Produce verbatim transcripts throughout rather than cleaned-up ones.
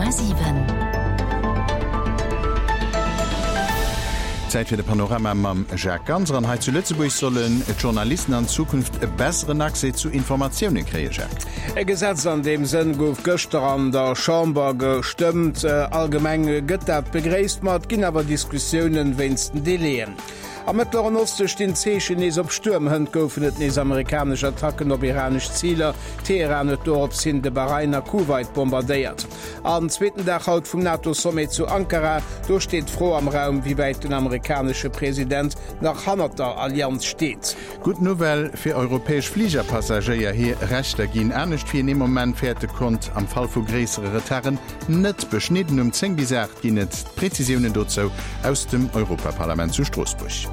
Komma siwen. Zäit fir de Panorama mam Jacques Ganser. An hei zu Lëtzebuerg sollen d'Journalisten an Zukunft e besseren Accès zu Informatioune kréien, Jacques. E Gesetz an deem Sënn gouf gëschter an der Chamber gestëmmt. Allgemeng gëtt dat begréisst, ma et ginn awer Diskussiounen wéinst den Delaien. Am Mëttleren Oste stinn d'Zeechen nees op Stuerm. Hënt goufen et nees amerikanesch Attacken op iranesch Ziler. Teheran huet dorops hin de Bahrain a Kuwait bombardéiert. An zweeten Dag haut vum NATO-Sommet zu Ankara, do steet d'Fro am Raum, wéi wäit den amerikanesche President nach hannert der Allianz steet. Gutt Nouvelle fir europäesch Fligerpassagéier, Hir Rechter ginn anescht. Wien ee Moment fäerte konnt, am Fall vu gréissere Retarden net beschnidden. Um zéng bis aacht ginn et Prezisiounen dozou aus dem Europaparlament zu Stroossbuerg.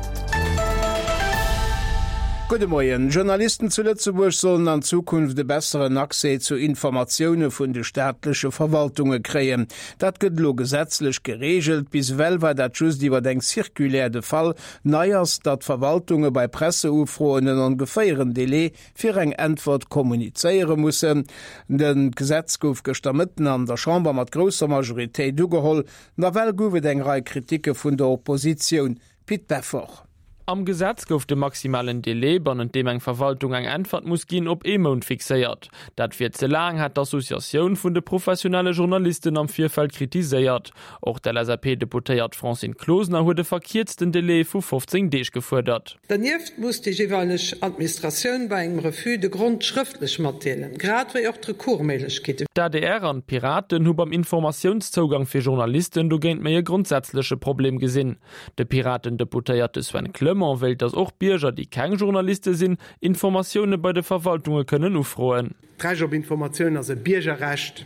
Gudde Moien. Journalisten zu Lëtzebuerg sollen an Zukunft e besseren Accès zu Informatioune vun de staatleche Verwaltunge kréien. Dat gëtt elo gesetzlech gereegelt. Bis ewell war dat just iwwer eng Circulaire de Fall. Nei ass, datt Verwaltunge bei Presseufroen en ongeféieren Delai fir eng Äntwert kommunizéiere mussen. De Gesetz gouf gëschter Mëtten an der Chamber mat grousser Majoritéit ugeholl. Nawell gouf et eng Rei Kriticke vun der Oppositioun. Pit Beffort. Am Gesetz gouf de maximalen Delai, bannent deem eng Verwaltung eng Äntwert muss ginn, op ee Mount fixéiert. Dat wier ze laang, hat d'Associatioun vun de professionelle Journalisten am Virfeld kritiséiert. Och d'LSAP-Deputéiert Francine Closener huet e verkierzten Delai vu fofzéng Deeg gefuerdert. Dernieft muss déi jeeweileg Administratioun bei engem Refus de Grond schrëftlech matdeelen, grad wéi och d'Recoursméiglechkeeten. D'adr an d'Piraten hu beim Informatiounszougang fir Journalisten dogéint méi e grondsätzleche Problem gesinn. De Piraten-Deputéierte Sven Clement wéilt, datt och Bierger, déi keng Journaliste sinn, Informatioune bei de Verwaltunge kënnen ufroen. D'Recht op Informatioun ass e Biergerrecht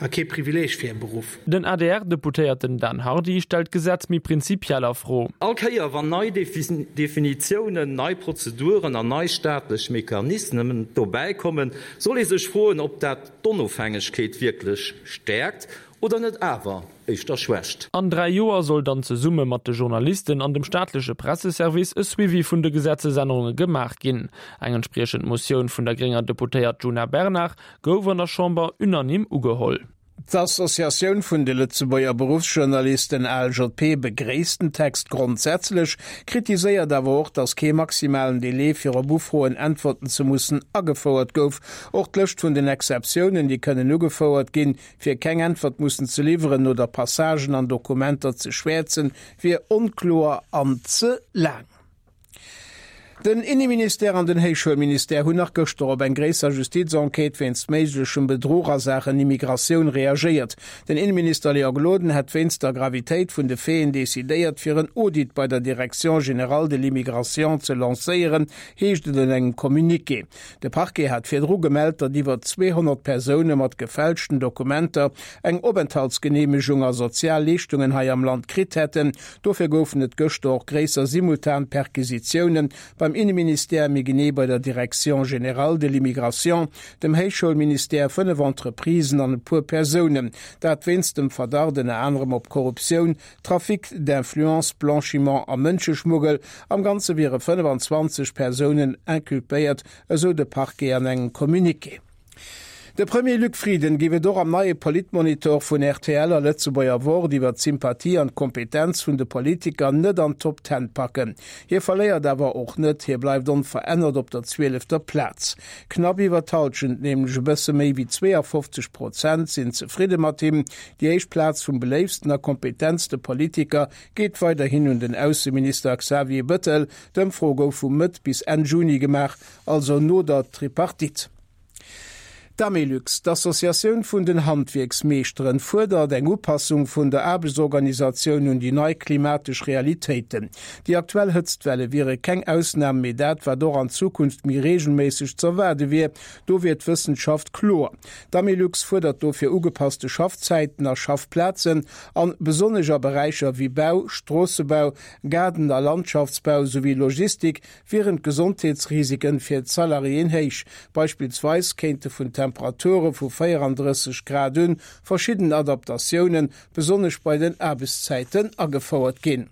a kee Privileeg fir e Beruff. Den A D R-Deputéierten Dan Hardy stellt d'Gesetz méi prinzipiell a Fro. All Kéier wann nei Definitiounen, nei Prozeduren an nei staatlech Mechanismen dobäi kommen, soll ee sech froen, ob dat d'Onofhängegkeet wierklech stäerkt oder net awer éischter schwächt. An dräi Joer soll dann zesumme mat de Journalisten an dem staatleche Presseservice e Suivi vun de Gesetzesännerunge gemaach ginn. Eng entspriechend Motioun vun der grénger Deputéiert Djuna Bernard gouf an der Chamber unanime ugeholl. D'Associatioun vun de Lëtzebuerger Beruffsjournalisten, A L J P, begréisst den Text grondsätzlech, kritiséiert awer och, datt kee maximalen Delai fir op Ufroen äntwerten ze mussen agefouert gouf. Och d'Lëscht vun den Exceptiounen, déi kënnen ugefouert ginn, fir keng Äntwert mussen ze liwweren oder Passagen an Dokumenter ze schwäerzen, wier onkloer an ze laang. Den Inneministère an den Héichschoulministère hunn nach gëschter op eng gréisser Justizenquête wéinst méiglechem Bedruch a Saachen Immigratioun reagéiert. Den Inneminister Léon Gloden hätt wéinst der Gravitéit vun de Faiten decidéiert, fir en Audit bei der Direction générale de l'immigration ze lancéieren, heescht et an engem Communiqué. De Parquet hat virdru gemellt, datt iwwer zweehonnert Persoune mat gefälschten Dokumenter eng Openthaltsgeneemegung a sozial Leeschtungen hei am Land kritt hätten. Dofir goufen et gëschter och gréisser simultan Perquisitiounen beim Inneministère, méi genee bei der Direction générale de l'immigration, dem Héichschoulministère, fënnef Entreprisen an e puer Persounen. Dat wéinst dem Verdacht ënner anerem op Korruptioun, Trafic d'influence, Blanchiment a Mënscheschmuggel. Am Ganze wiere fënnefenzwanzeg Persounen inculpéiert, esou de Parquet an engem Communiqué. De Premier Luc Frieden géif et och am neie Politmonitor vun R T L a Lëtzebuerger Wort iwwer d'Sympathie an d'Kompetenz vun de Politiker net an d'Top Ten packen. Hie verléiert awer och net, hie bleift onverännert op der zwielefter Plaz. Knapp iwwer d'Hallschent, nämlech e bësse méi wéi zweeafofzeg Prozent, sinn zefridde mat him. Déi éischt Plaz vum beléiftsten a kompetentste Politiker geet weiderhin un den Ausseminister Xavier Bettel. D'Ëmfro gouf vu Mëtt bis Enn Juni gemaach, also no der Tripartite. D'Amelux, d'Associatioun vun den Handwierksmeeschteren, fuerdert eng Upassung vun der Aarbechtsorganisatioun un déi nei klimatesch Realitéiten. Déi aktuell Hëtztwelle wiere keng Ausnam, mee dat, wat och an Zukunft méi reegelméisseg z'erwaarde wier, do wier d'Wëssenschaft kloer. D'Amelux fuerdert dofir ugepasste Schaffzäiten a Schaffplazen an besonnesch a Beräicher wéi Bau, Stroossebau, Gaarden a Landschaftsbau souwéi Logistik wieren d'Gesondheetsrisiken fir d'Salariéen héich. Beispillsweis kéinte vun Temperature vu véierandrësseg Grad un verschidden Adaptatiounen, besonnesch bei den Aarbechtszäiten, agefouert ginn.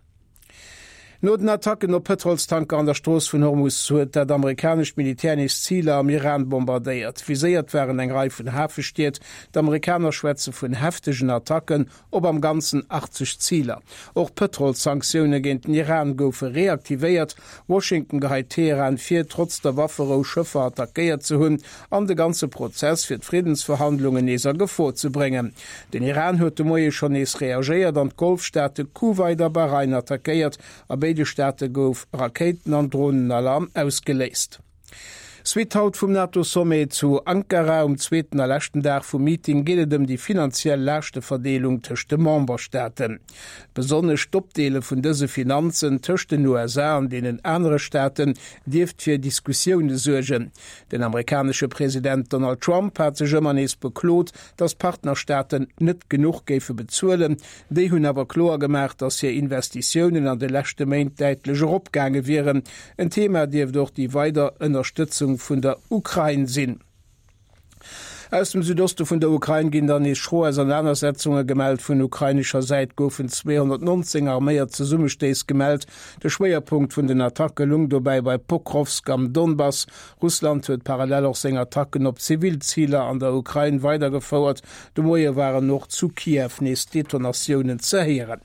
No den Attacken op Pëtrolstanker an der Strooss vun Hormus huet dat amerikanescht Militär nees Ziler am Iran bombardéiert. Viséiert waren eng Rei vun Hafestied. D'Amerikaner schwätze vun heftegen Attacken op am Ganzen achtzeg Ziler. Och Pëtrolssanktioune géint den Iran goufe reaktivéiert. Washington geheit Teheran vir, trotz der Wafferou Schëffer attackéiert ze hunn an de ganze Prozess fir d'Friddensverhandlungen nees a Gefor ze bréngen. Den Iran huet de Moie schonn nees reagéiert an d'Golfstaate Kuwait a Bahrain attackéiert. A béide Staate gouf Rakéiten an Dronenalarm ausgeléist. Suite haut vum NATO-Sommet zu Ankara. Um zweeten a leschten Dag vum Meeting geet et ëm déi finanziell Laaschte-Verdeelung tëscht de Memberstaaten. Besonnesch d'Opdeele vun dëse Finanzen tëscht den U S A an deenen anere Staaten dierft fir Diskussioune suergen. Den amerikanesche President Donald Trump hat sech ëmmer nees beklot, datt d'Partnerstaaten net genuch géife bezuelen. Déi hunn awer kloer gemaach, datt hir Investitiounen an de leschte Méint däitlech eropgaange wieren. En Thema dierft och déi weider Ënnerstëtzung vun der Ukrain sinn. Aus dem Südoste vun der Ukrain ginn dann nees schro Ausenanersetzunge gemellt. Vun ukrainescher Säit goufen zweehonnertnonzéng arméiert Zesummestéiss gemellt. De Schwéierpunkt vun den Attacke lung dobäi bei Pokrovsk am Donbass. Russland huet parallel och seng Attacken op Zivilziler an der Ukrain weidergefouert. De Moie waren och zu Kiew nees Detonatiounen ze héieren.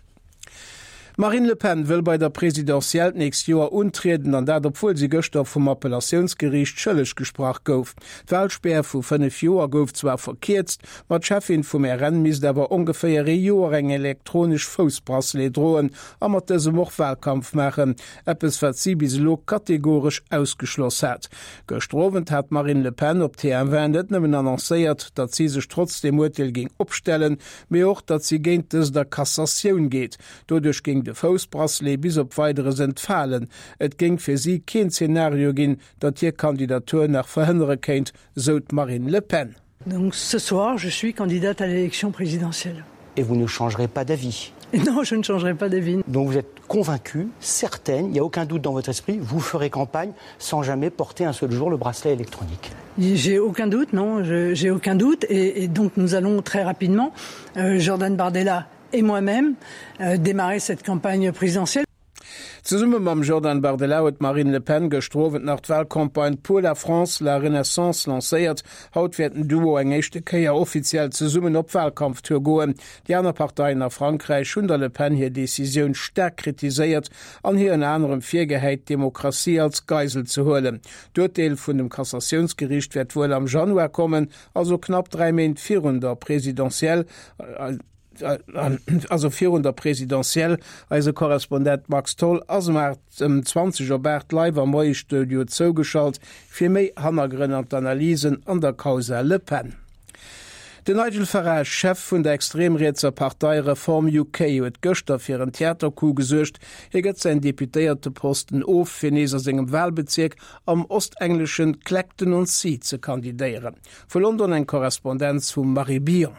Marine Le Pen wëll bei der Presidentielle d'nächst Joer untrieden, an dat obwuel si gëschter vum Appellatiounsgeriicht schëlleg gesprach gouf. D'Wahlspär vu fënnef Joer gouf zwar verkierzt, ma d'Chefin vum R N misst awer ongeféier ee Joer eng elektronesch Foussbracelet droen a mat dësem och Wahlkampf maachen, eppes wat si bis elo kategoresch ausgeschloss hat. Gëschter Owend hat Marine Le Pen op T M vingt net nëmmen annoncéiert, datt si sech trotz dem Urteel géing opstellen, mee och, datt si géint dës der Kassatioun geet. Doduerch géing de Foussbracelet bis op Weideres entfalen. Et géing fir si keen Szenario ginn, datt hir Kandidatur nach verhënnere kéint, sou d'Marine Le Pen. Donc ce soir, je suis candidate à l'élection présidentielle. Et vous ne changerez pas d'avis? Non, je ne changerai pas d'avis. Donc vous êtes convaincue, certaine, il n'y a aucun doute dans votre esprit, vous ferez campagne sans jamais porter un seul jour le bracelet électronique. J'ai aucun doute, non, je, j'ai aucun doute. Et, et donc nous allons très rapidement, euh, Jordan Bardella et moi-même, euh, démarrer cette campagne présidentielle. Zesumme mam Jordan Bardella huet Marine Le Pen gëschter Owend nach d'Wahlcampagne Pour la France, la Renaissance lancéiert. Haut wäert den Duo eng éischte Kéier offiziell zesummen op Wahlkampftour goen. Déi aner Parteien a Frankräich hunn der Le Pen hir Decisioun staark kritiséiert an hir ënner anerem virgehäit, d'Demokratie als Geisel ze huelen. D'Urteel vun dem Kassatiounsgeriicht wäert wuel am Januar kommen, also knapp dräi Méint virun der Presidentielle, äh, also virun der Presidentielle. Eise Korrespondent Max Tholl ass um acht, um zwanzeg op acht live am Moie-Studio zougeschalt fir méi Hannergrënn an d'Analysen an der Causa Le Pen. Den Nigel Farage, Chef vun der extremrietser Partei Reform U K, huet gëschter fir en Theatercoup gesuergt. Hie gëtt säin Deputéierteposten of, fir nees a sengem Wahlbezirk am ostengleschen Clacton-on-Sea ze kandidéieren. Vu London eng Korrespondenz vum Marie Billon.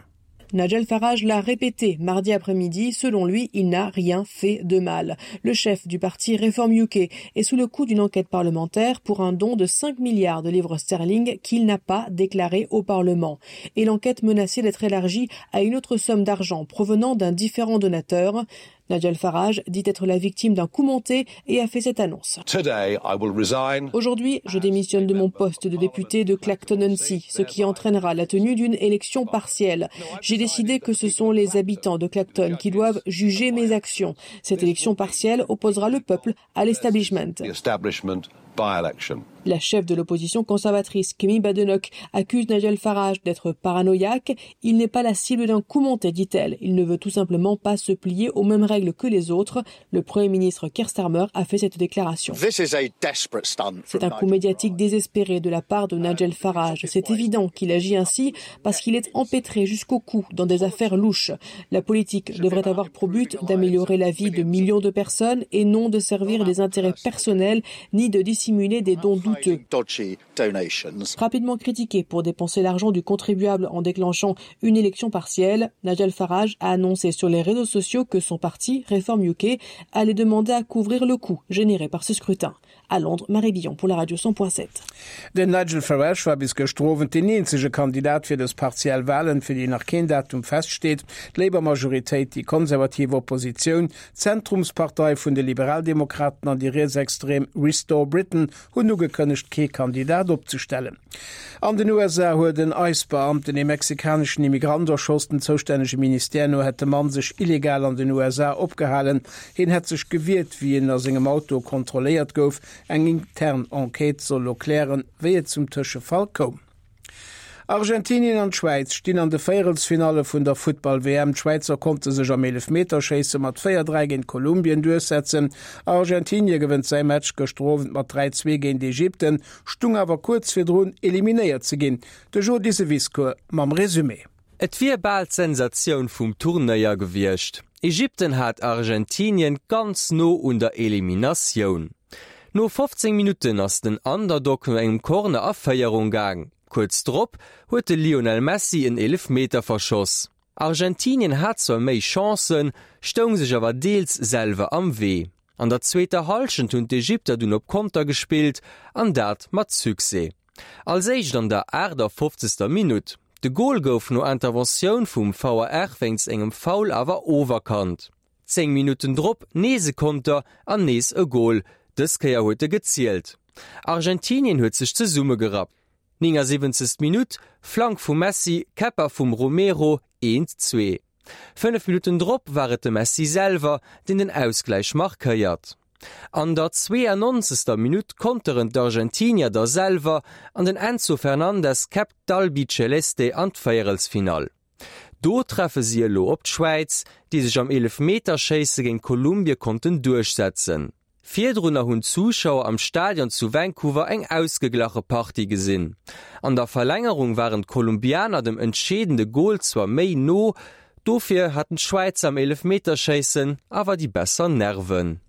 Nigel Farage l'a répété mardi après-midi. Selon lui, il n'a rien fait de mal. Le chef du parti Reform U K est sous le coup d'une enquête parlementaire pour un don de cinq milliards de livres sterling qu'il n'a pas déclaré au Parlement. Et l'enquête menaçait d'être élargie à une autre somme d'argent provenant d'un différent donateur. Nigel Farage dit être la victime d'un coup monté et a fait cette annonce. Today, I will resign. Aujourd'hui, je démissionne de mon poste de député de Clacton-on-Sea, ce qui entraînera la tenue d'une élection partielle. J'ai décidé que ce sont les habitants de Clacton qui doivent juger mes actions. Cette élection partielle opposera le peuple à l'establishment. The establishment by-election. La chef de l'opposition conservatrice, Kemi Badenoch, accuse Nigel Farage d'être paranoïaque. Il n'est pas la cible d'un coup monté, dit-elle. Il ne veut tout simplement pas se plier aux mêmes règles que les autres. Le Premier ministre Keir Starmer a fait cette déclaration. This is a desperate stunt C'est un from coup Nigel médiatique Farage. désespéré de la part de Nigel Farage. C'est évident qu'il agit ainsi parce qu'il est empêtré jusqu'au cou dans des affaires louches. La politique devrait avoir pour but d'améliorer la vie de millions de personnes et non de servir des intérêts personnels ni de dissimuler des dons douteux. Dodgy donations. Rapidement critiqué pour dépenser l'argent du contribuable en déclenchant une élection partielle, Nigel Farage a annoncé sur les réseaux sociaux que son parti, Reform U K, allait demander à couvrir le coût généré par ce scrutin. À Londres, Marie Billon pour la radio cent point sept. Den Nigel Farage war bis gëschter Owend deen eenzege Kandidat fir dës partiell Walen, fir déi nach keen Datum feststeet. D'Labour-Majoritéit, déi konservativ Oppositioun, d'Zentrumspartei vun de Liberaldemokraten an déi rietsextrem Restore Britain hunn ugekënnegt, kee Kandidat opzestellen. An den U S A huet en ICE-Beamten ee mexikaneschen Immigrant erschoss. Den zoustännege Ministère no hätt de Mann sech illegal an den U S A opgehalen. Hien hätt sech gewiert, wéi en a sengem Auto kontrolléiert gouf. Eng intern Enquête soll elo klären, wéi et zum Tëschefall koum. Argentinien an d'Schwäiz stinn an de Véierelsfinalle vun der Futtball-W M. D'Schwäizer konnte sech am Eelefmeterschéisse mat véier dräi géint Kolumbien duerchsetzen. Argentinie gewënnt säi Match gëschter Owend mat dräi zwee géint Ägypten, stung awer kuerz virdrun eliminéiert ze ginn. De Jo Diseviscourt mam Resumé. Et wier bal d'Sensatioun vum Turnéier gewiescht. Ägypten hat Argentinien ganz no un der Eliminatioun. No fofzéng Minutten ass den Underdog no engem Corner a Féierung gaang. Kuerz drop huet de Lionel Messi en Eelefmeter verschoss. Argentinien hat zwar méi Chancen, stoung sech awer deels selwer am Wee. An der zweeter Hallschent hunn d'Ägypter dunn op Konter gespillt, an dat mat Succès. Als éischt an der aachtafoffzegster Minutt. De Gol gouf no Interventioun vum V A R wéinst engem Foul awer oferkannt. Zéng Minutten drop nees e Konter an nees e Gol. Dës Kéier huet e gezielt. Argentinien huet sech zesummegerappt. Neunundsiebzigste Minutt, Flank vum Messi, Käpper vum Romero, eent zwee. Fënnef Minutten drop war et de Messi selwer, deen den Ausgleich markéiert. An der zweiundneunzigster Minutt konteren d'Argentinier da selwer an den Enzo Fernandez käppt d'Albiceleste an d'Véierelsfinall. Do treffe si elo op d'Schwäiz, déi sech am Eelefmeterschéisse géint Kolumbie konnten duerchsetzen. Virdrunner hunn d'Zuschauer am Stadion zu Vancouver eng ausgeglache Partie gesinn. An der Verlängerung waren d'Kolumbianer dem entscheedende Gol zwar méi no, dofir hatten d'Schwäizer am Eelefmeterschéissen awer déi besser Nerven.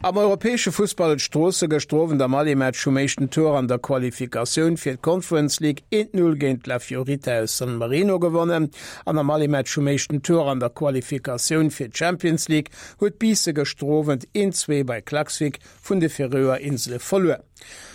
Am europäesche Fussball huet Stroosse gëschter Owend am Aller-Match vum éischten Tour an der Qualifikatioun fir d'Conference League eent null géint La Fiorita aus San Marino gewonnen. An am Aller-Match vum éischten Tour an der Qualifikatioun fir d'Champions League huet Biisse gëschter Owend eent zwee bei Klaksvík vun de Färöer Insele verluer.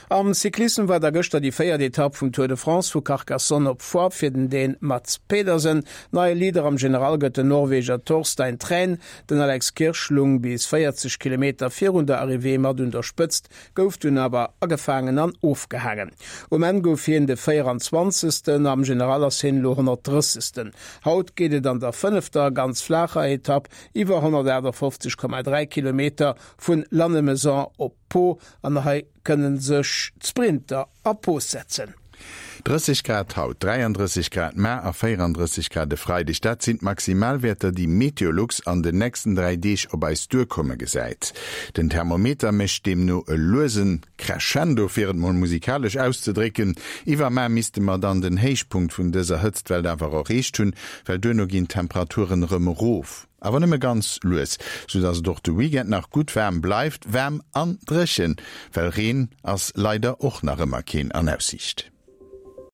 Am Cyclissem war da gëschter déi véiert Etapp vum Tour de France vu Carcassonne op Foix fir den Dän Mads Pedersen. Neie Leader am General gëtt den Norweger Torstein Træen. Den Alex Kirsch lung bis véierzeg Kilometer virun der Arrivée mat un der Spëtzt, gouf dunn awer agefaangen an ofgehaangen. Um Enn gouf hien de véieranzwanzegsten, am General ass hien elo honnertdrëssegsten. Haut geet et an der fënnefter ganz flacher Etapp iwwer honnertachtundfünfzig Komma dräi Kilometer vun Lannemezan op Pau an hei kënnen sech d'Sprinter a Pos setzen. Drësseg Grad haut, dräianddrësseg Grad mar a véierandrësseg Grad de Freideg. Dat sinn d'Maximalwäerter, déi Meteolux an den nächsten dräi Deeg op eis duerkomme gesäit. Den Thermometer mécht deemno e luesen Crescendo, fir et mol musikalesch auszedrécken. Iwwer mar misste mer dann den Héichpunkt vun dëser Hëtztwell awer erreecht hunn, well duerno ginn d'Temperaturen erëm erof. Awer nëmme ganz lues, so dass et och de Weekend nach gutt waarm bleift, waarm an dréchen, well Reen ass leider och nach ëmmer keen an Aussiicht.